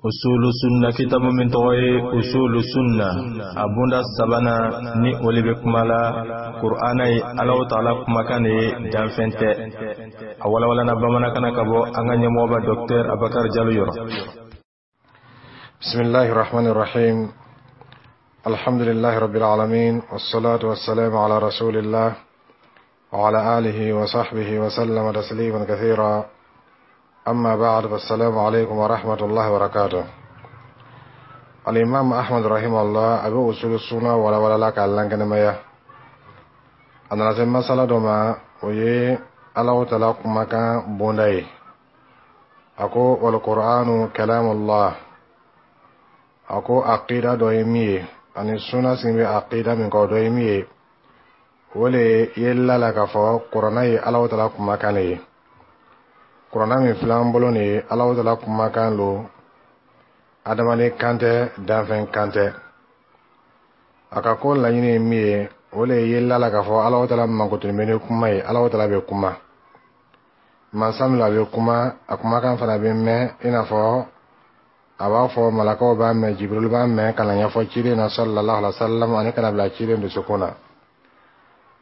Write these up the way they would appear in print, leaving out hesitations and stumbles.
Usulu Sunna kitabu min tɔgɔ ye Usulu Sunna, a bunda sabanan ni o le bɛ kuma la Kur'ana ye Alahu Taala kumakan de ye, danfɛn tɛ. A walawalana bamanankan na ka bɔ an ka ɲɛmɔgɔba Docteur Abakari Jalo yɔrɔ. بسم الله الرحمن الرحيم. الحمد لله رب العالمين، والصلاة والسلام على رسول الله وعلى آله وصحبه وسلم تسليما كثيرا. أما بعد، فالسلام عليكم ورحمة الله وبركاته. الإمام أحمد رحمه الله a bɛ أصول السنة walawala la k'a lankɛnɛmaya. A nana se masala dɔ ma, o ye Alahu Taala kumakan bonda ye. A ko: والقرآن كلام الله. A ko aqida dɔ ye min ye ani sunna sigi bɛ aqida min kan, o dɔ ye min ye, o le ye la la k'a fɔ kuranna ye Alahu Taala kumakan le ye. Kuranna min filɛ an bolo nin ye, Alahu Taala kumakan lo, adamaden kan tɛ, danfɛn kan tɛ. A ka ko laɲini ye min ye, o le ye la la k'a fɔ Alahu Taala mankutuni bɛ ni kuma ye. Alahu Taala bɛ kuma, mansa min a bɛ kuma, a kumakan fana bɛ mɛn, i n'a fɔ a b'a fɔ malakaw b'a mɛn, Jibirili b'a mɛn ka na ɲɛfɔ ciden na صلى الله عليه وسلم, ani kana bila ciden dusukun na.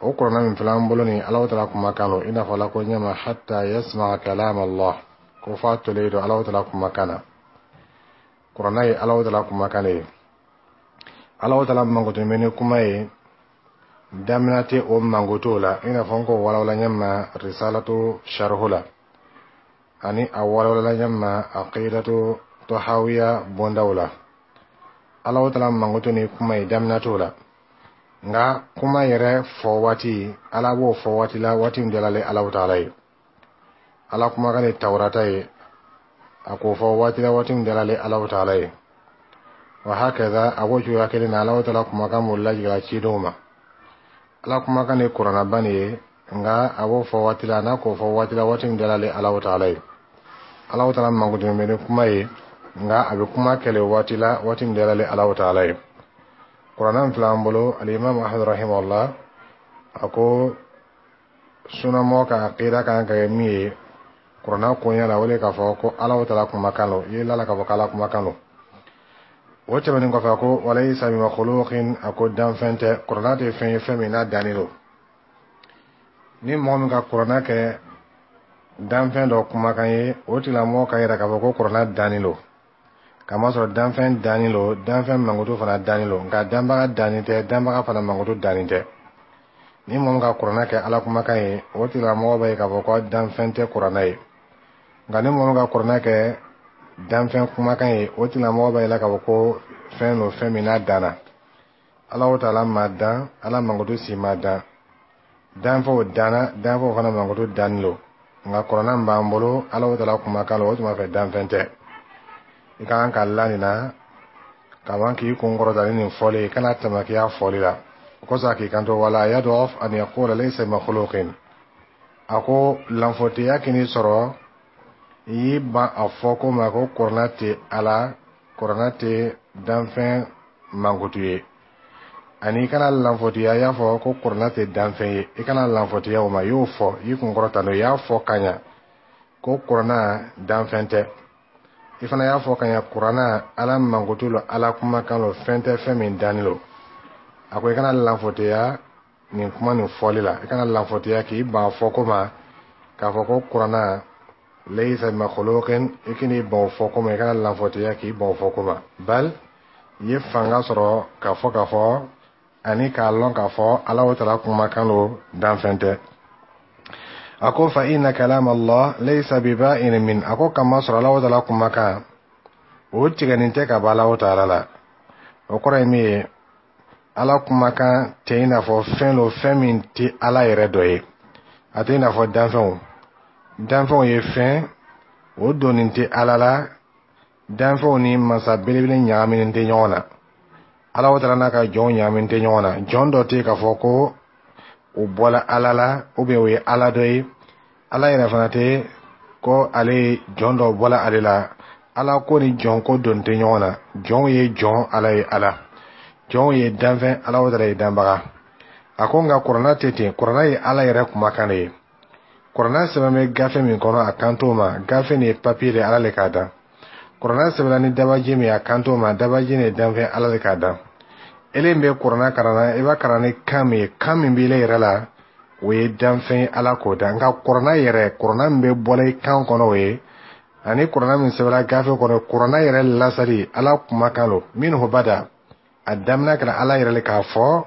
O kuranna min filɛ an bolo nin, Alahu Taala kumakan lo, i n'a fɔ Ala ko ɲɛma: حتى يسمع كلام الله, ko f'a tolen don Alahu Taala kumakan na. Kuranna ye Alahu Taala kumakan de ye. Alahu Taala mankutuni bɛ ni kuma ye, damina tɛ o mankutu la, i n'a fɔ n k'o walawala ɲɛma Risalatu sharhu la, ani a walawala ɲɛma Aqidatu Tahawiya bondaw la. Alahu Taala mankutu ni kuma ye, damina t'o la. Nka kuma yɛrɛ fɔ waati, Ala b'o fɔ waati la, waati min diyara Alahu Taala ye. Ala kumakan de Tawurata ye, a k'o fɔ waati la, waati min diyara Alahu Taala ye. وهكذا, a b'o cogoya kelen na, Alahu Taala kumakan m'o lajigin cidenw ma. Ala kumakan de kuranaba nin ye, nka a b'o fɔ waati la, n'a k'o fɔ waati la, waati min diyara Alahu Taala ye. Alahu Taala mankutu bɛ ni kuma ye, nka a bɛ kuma kɛlɛ waati la, waati min diyara Alahu Taala ye. Kuranna min filɛ an bolo, Alimami Ahmad رحمه الله a ko sunamɔgɔ ka aqida kan ka kɛ min ye kuranna koɲɛ la, o de k'a fɔ ko Alahu Taala kumakan lo. I ye lala k'a fɔ k'Ala kumakan lo. O tɛmɛnen kɔfɛ, a ko: وليس بمخلوق. A ko danfɛn tɛ, kuranna tɛ fɛn ye, fɛn min n'a danni don. Ni mɔgɔ min ka kuranna kɛ danfɛn dɔ kumakan ye, o tigilamɔgɔ ka yira k'a fɔ ko kuranna danni don, kamasɔrɔ danfɛn danni lo, danfɛn mankutu fana danni lo, nka danbaga danni tɛ, danbaga fana mankutu danni tɛ. Ni mɔgɔ min ka kuranna kɛ Ala kumakan ye, o tigilamɔgɔ b'a ye k'a fɔ ko danfɛn tɛ kuranna ye. Nka ni mɔgɔ min ka kuranna kɛ danfɛn kumakan ye, o tigilamɔgɔ b'a yira k'a fɔ ko fɛn don, fɛn min n'a danna. Alahu Taala ma dan, Ala mankutu si ma dan. Danfɛnw danna, danfɛnw fana mankutu danni lo. Nka kuranna min b'an bolo, Alahu Taala kumakan lo, o tuma fɛ danfɛn tɛ. I ka kan ka la nin na kaban k'i kun kɔrɔta ni nin fɔli ye, i kana tamakiya fɔli la. O kosɔn a k'i kanto: ولا يضعف أن يقول ليس بمخلوق. A ko lanfoteya k'i sɔrɔ i y'i ban a fɔ ko ma ko kuranna tɛ Ala, kuranna tɛ danfɛn mankutu ye, ani i kana lanfotiya i y'a fɔ ko kuranna tɛ danfɛn ye. I kana lanfotiya o ma. I y'o fɔ, i y'i kun kɔrɔta n'o ye, i y'a fɔ ka ɲa ko kuranna danfɛn tɛ. I fana y'a fɔ ka ɲa kuranna Ala mankutu lo, Ala kumakan lo, fɛn tɛ, fɛn min danni lo. A ko i kana lanfotiya nin kuma nin fɔli la, i kana lanfotiya k'i ban fɔ ko ma k'a fɔ ko kuranna ليس بمخلوق. I kan'i ban o fɔ ko ma, i kana lanfotiya k'i ban o fɔ ko ma, bal i ye fanga sɔrɔ k'a fɔ k'a fɔ ani k'a lɔn k'a fɔ Alahu Taala kumakan lo, danfɛn tɛ. A ko: فإن كلام الله ليس ببائن منه. A ko kamasɔrɔ Alahu Taala kumakan o tigɛnin tɛ ka bɔ Alahu Taala la. O kɔrɔ ye min ye, Ala kumakan tɛ i n'a fɔ fɛn lo, fɛn min tɛ Ala yɛrɛ dɔ ye. A tɛ i n'a fɔ danfɛnw. Danfɛnw ye fɛn o donnen tɛ Ala la, danfɛnw ni masa belebele ɲagaminen tɛ ɲɔgɔn na. Ala Taala n'a ka jɔnw ɲagaminen tɛ ɲɔgɔn na. Jɔn dɔ tɛ yen k'a fɔ ko o bɔla Ala la, ou bien o ye Ala dɔ ye. Ala yɛrɛ fana tɛ ko ale ye jɔn dɔ bɔla ale la. Ala ko ni jɔn ko don tɛ ɲɔgɔn na. Jɔnw ye jɔn, Ala ye Ala. Jɔnw ye danfɛn, Ala Taala ye danbaga. A ko nka kuranna tɛ ten, kuranna ye Ala yɛrɛ kumakan de ye. Kuranna sɛbɛn bɛ gafe min kɔnɔ, a kan t'o ma. Gafe nin ye papiye de, Ala le k'a dan. Kuranɛ sɛbɛnna ni dabaji min ye, a kan t'o ma. Dabaji nin ye danfɛn, Ala de k'a dan. Ele bɛ kuranɛ kalan na, i b'a kalan ni kan min ye, kan min b'i yɛrɛ la, o ye danfɛn ye, Ala k'o dan. Nka kuranɛ yɛrɛ, kuranɛ min bɛ bɔla i kan kɔnɔ, o ye ani kuranɛ min sɛbɛnna gafe kɔnɔ, kuranɛ yɛrɛ lasali, Ala kumakan lo. Minhu bada, a daminɛ kɛra Ala yɛrɛ le k'a fɔ,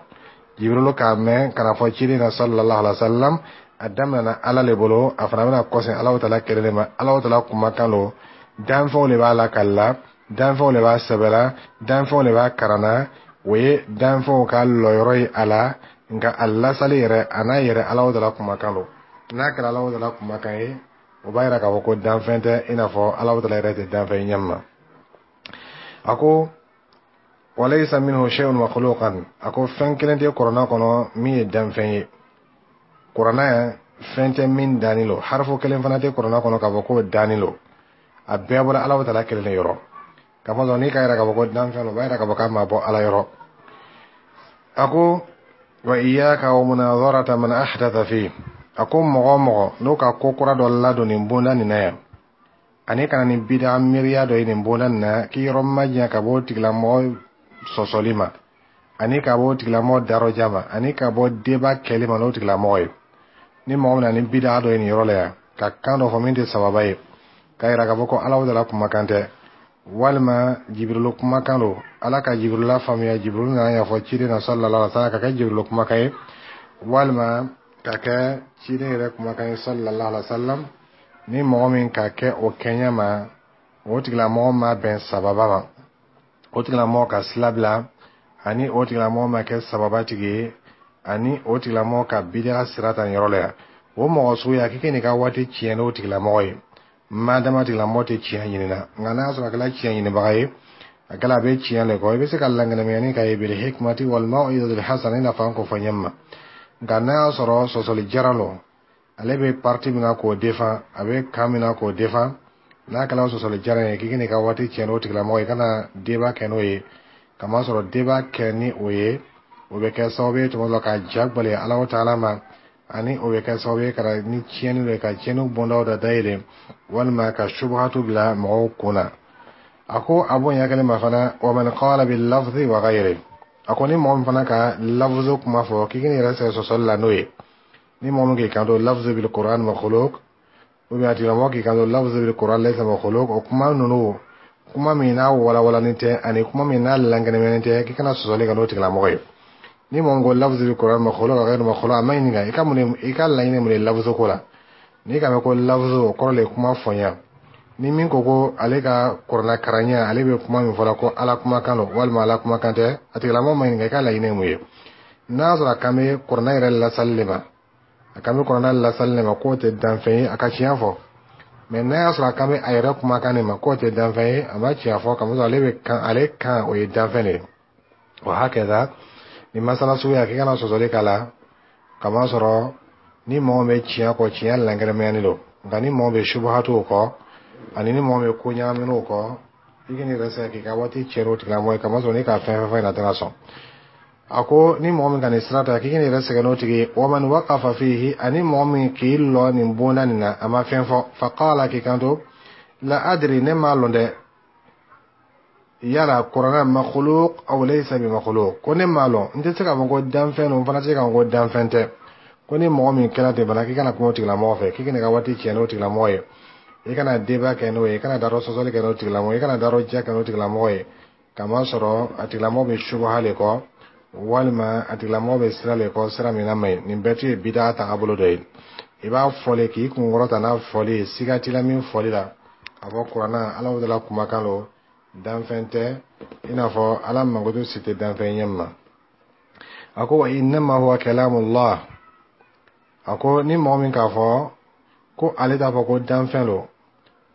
Jibirilu k'a mɛn ka na fɔ ciden na sallallahu alaihi wa sallam. A daminɛna Ala le bolo, a fana bɛna kɔsegin Alahu taala kelen de ma. Alahu taala kumakan lo, danfɛnw de b'a lakali, danfɛnw de b'a sɛbɛla, danfɛnw de b'a karanna. O ye danfɛnw ka lɔyɔrɔ ye a la. Nka a lasali yɛrɛ, a n'a yɛrɛ, Alahu taala kumakan lo. N'a kɛra Alahu taala kumakan ye, o b'a yira k'a fɔ ko danfɛn tɛ, i n'a fɔ Alahu taala yɛrɛ tɛ danfɛn ɲɛ ma. A ko walaysa minhu shay'un makhluqan. A ko fɛn kelen tɛ kuranɛ kɔnɔ min ye danfɛn ye. Kuranɛ, fɛn tɛ min danni lo. Harifu kelen fana tɛ kuranɛ kɔnɔ k'a fɔ k'o danni lo. A bɛɛ bɔra Alahu taala kelen de yɔrɔ. K'a fɔ n'i ka yira k'a fɔ ko danfɛn lo, o b'a yira k'a fɔ k'a ma bɔ Ala yɔrɔ. A ko wa iyyaka wa munazarata man ahdatha fi. A ko mɔgɔ o mɔgɔ n'o ka ko kura dɔ ladon nin bonda nin na yan, ani kana ni bida miiriya dɔ ye nin bonda nin na, k'i yɔrɔ majanya ka bɔ o tigilamɔgɔ sɔsɔli ma, ani ka bɔ o tigilamɔgɔ darɔja ma, ani ka bɔ débat kɛli ma n'o tigilamɔgɔ ye. Ni mɔgɔ min na ni bida dɔ ye nin yɔrɔ la yan, ka kan dɔ fɔ min tɛ sababa ye, k'a yira k'a fɔ ko Alahu taala kumakan tɛ, walima Jibirilu kumakan don, Ala ka Jibirilu lafaamuya, Jibirilu nana ɲɛfɔ ciden na sallallahu alaihi wa sallam, ka kɛ Jibirilu kumakan ye, walima ka kɛ ciden yɛrɛ kumakan ye sallallahu alaihi wa sallam, ni mɔgɔ min ka kɛ o kɛɲɛ ma, o tigilamɔgɔ ma bɛn sababa ma, o tigilamɔgɔ ka sira bila, ani o tigilamɔgɔ ma kɛ sababa tigi ye, ani o tigilamɔgɔ ka bid'a sira ta nin yɔrɔ la yan, o mɔgɔ suguya, k'i n'i ka waati tiɲɛ n'o tigilamɔgɔ ye, madama tigilamɔgɔ tɛ tiɲɛ ɲini na. Nka n'a y'a sɔrɔ a kɛra tiɲɛ ɲinibaga ye, a kɛra a bɛ tiɲɛ le kɔ, i bɛ se ka lankɛnɛmɛyani k'a ye bil hikmati wal mau'izatil hasana, i n'a fɔ an k'o fɔ ɲɛ ma. Nka n'a y'a sɔrɔ sɔsɔli jaran lo, ale bɛ parti min na k'o défend, a bɛ kan min na k'o défend, n'a kɛra sɔsɔli jaran ye, k'i n'i ka waati tiɲɛ n'o tigilamɔgɔ ye, i kana débat kɛ n'o ye, kamasɔrɔ débat kɛ ni o ye, o bɛ kɛ sababu ye tuma dɔ la ka ja gbɛlɛya Alahu taala ma, ani o bɛ kɛ sababu ye ka ni tiɲɛni dɔ ye, ka tiɲɛni bondaw da dayɛlɛ, walima ka subuhatu bila mɔgɔw kun na. A ko a bonya kelen ma fana, wa man qala bil lafzi wa ghayri. A ko ni mɔgɔ min fana ka lafzu kuma fɔ, k'i k'i yɛrɛ sɛgɛn sɔsɔli la n'o ye, ni mɔgɔ min k'i kanto lafzu bil Qur'an makhluq, ou bien a tigilamɔgɔ k'i kanto lafzu bil Qur'an laysa makhluq, o kuma ninnu, kuma min n'a walawalani tɛ ani kuma min n'a lankɛnɛmɛni tɛ, k'i kana sɔsɔli kɛ n'o tigilamɔgɔ ye. Ni mɔgɔ min ko lafzu bil Qur'an makhluq wa ghayru makhluq, a ma ɲininka i ka mun, i ka laɲini mun ye lafzu ko la. N'i ka mɛn ko lafzu, o kɔrɔ le kuma fɔnya. Ni min ko ko ale ka kuranɛ karanya, ale bɛ kuma min fɔla ko Ala kumakan don walima Ala kumakan tɛ, a tigilamɔgɔ ma ɲininka i ka laɲini ye mun ye. N'a y'a sɔrɔ a kan bɛ kuranɛ yɛrɛ lasali de ma, a kan bɛ kuranɛ lasali de ma k'o tɛ danfɛn ye, a ka tiɲɛ fɔ. Mɛ n'a y'a sɔrɔ a kan bɛ a yɛrɛ kumakan de ma k'o tɛ danfɛn ye, a ma tiɲɛ fɔ, kamasɔrɔ ale bɛ kan, ale kan o ye danfɛn de ye. O hakɛda ni masala suguya, k'i kana sɔsɔli k'a la, kamasɔrɔ ni mɔgɔ bɛ tiɲɛ kɔ, tiɲɛ lankɛnɛmayani don. Nka ni mɔgɔ bɛ subuhatuw kɔ, ani ni mɔgɔ bɛ ko ɲagaminiw kɔ, i k'i yɛrɛ sɛgɛn k'i ka waati tiɲɛ n'o tigilamɔgɔ ye, kamasɔrɔ n'i ka fɛn fɛn fɔ ɲɛna, a tɛna sɔn. A ko ni mɔgɔ min ka nin sira ta, k'i k'i yɛrɛ sɛgɛn n'o tigi ye. Wa man waqafa fihi, ani mɔgɔ min k'i lɔ nin bonda nin na, a ma fɛn fɔ, faqala, k'i kanto la adri, ne m'a lɔn dɛ, yala kuranɛ makhluq aw laysa bi makhluq, ko ne m'a lɔn, n tɛ se k'a fɔ ko danfɛn don, n fana tɛ se k'a fɔ ko danfɛn tɛ. Ko ni mɔgɔ min kɛra ten fana, k'i kana kuma o tigilamɔgɔ fɛ, k'i kana ka waati tiɲɛ n'o tigilamɔgɔ ye, i kana débat kɛ n'o ye, i kana darɔ sɔsɔli kɛ n'o tigilamɔgɔ ye, i kana darɔ diya kɛ n'o tigilamɔgɔ ye, kamasɔrɔ a tigilamɔgɔ bɛ subaha le kɔ, walima a tigilamɔgɔ bɛ sira le kɔ, sira min na man ɲi. Nin bɛɛ tun ye bida tagabolo dɔ ye. I b'a fɔli k'i kunkɔrɔta n'a fɔli ye, siga t'i la min fɔli la, k'a fɔ kuranɛ, Ala la kumakan don, danfɛn tɛ, i n'a fɔ Ala mankutu si tɛ danfɛn ɲɛ ma. A ko wa innama huwa kalamullah. A ko ni mɔgɔ min k'a fɔ ko ale t'a fɔ ko danfɛn don,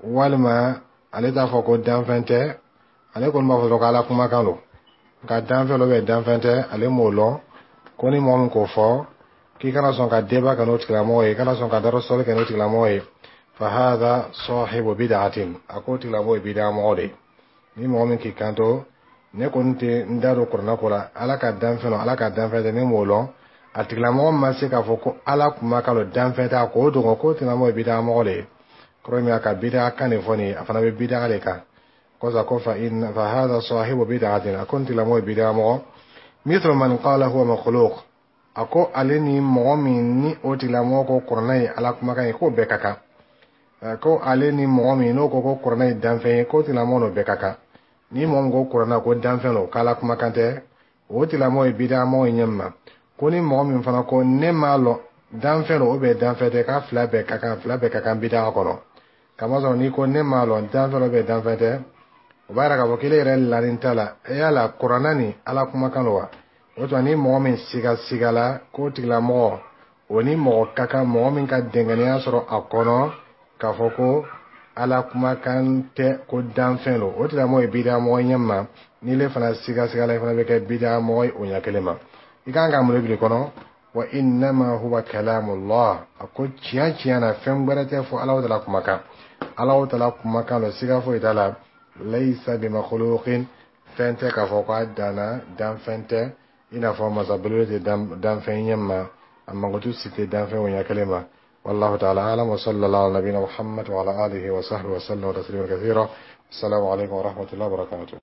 walima ale t'a fɔ ko danfɛn tɛ, ale kɔni b'a fɔ dɔrɔn ko Ala kumakan don, nka danfɛn dɔ bɛ, danfɛn tɛ, ale m'o lɔn, ko ni mɔgɔ min k'o fɔ, k'i kana sɔn ka débat kɛ n'o tigilamɔgɔ ye, i kana sɔn ka darɔ sɔli kɛ n'o tigilamɔgɔ ye. Fa hadha sahibu bid'atin, a k'o tigilamɔgɔ ye bid'a mɔgɔ de ye. Ni mɔgɔ min k'i kanto ne kɔni tɛ n da don kuranɛ ko la, Ala ka danfɛn don, Ala ka danfɛn tɛ, ne m'o lɔn, a tigilamɔgɔ ma se k'a fɔ ko Ala kumakan don, danfɛn tɛ, a k'o dogo, k'o tigilamɔgɔ ye bid'a mɔgɔ de ye. Kɔrɔ min a ka bid'a kan de fɔ nin ye, a fana bɛ bid'a de kan. Kosa ko fa inna fa hadha sahibu bid'atin, a ko nin tigilamɔgɔ ye bid'a mɔgɔ, mithlu man qala huwa makhluq, a ko ale ni mɔgɔ min ni o tigilamɔgɔ ko kuranɛ ye Ala kumakan ye, k'o bɛɛ ka kan. Ko ale ni mɔgɔ min n'o ko ko kuranɛ ye danfɛn ye, k'o tigilamɔgɔ n'o bɛɛ ka kan. Ni mɔgɔ min ko kuranɛ ko danfɛn don, k'Ala kumakan tɛ, o tigilamɔgɔ ye bid'a mɔgɔ ye ɲɛ min ma. Ko ni mɔgɔ min fana ko ne m'a lɔn, danfɛn don ou bien danfɛn tɛ, k'a fila bɛɛ ka kan, fila bɛɛ ka kan bid'a kɔnɔ. Kamasɔrɔ n'i ko ne m'a lɔn, danfɛn don ou bien danfɛn tɛ, o b'a yira k'a fɔ k'ile yɛrɛ lanin t'a la e yala kuranɛ ni Ala kumakan don wa. O tuma, ni mɔgɔ min siga sigala, k'o tigilamɔgɔ o ni mɔgɔ ka kan, mɔgɔ min ka dɛngɛniya sɔrɔ a kɔnɔ k'a fɔ ko Ala kumakan tɛ, ko danfɛn don, o tigilamɔgɔ ye bida mɔgɔ ɲɛ ma. N'ile fana siga sigala, i fana bɛ kɛ bida mɔgɔ ye o ɲɛ kelen ma. I kan ka mun de kɔnɔ? Wa innama huwa kalamullah, a ko tiɲɛ tiɲɛ na, fɛn gbɛrɛ tɛ fɔ Ala tala kumakan, Ala tala kumakan don, siga foyi t'a la. Laysa bimakhluqin, fɛn tɛ k'a fɔ k'a danna, danfɛn tɛ, i n'a fɔ masa belebele tɛ danfɛn ɲɛ ma, a mankutu si tɛ danfɛn o ɲɛ kelen ma. والله تعالى أعلم، وصلى الله على نبينا محمد وعلى آله وصحبه وسلم تسليما كثيرا. السلام عليكم ورحمة الله وبركاته.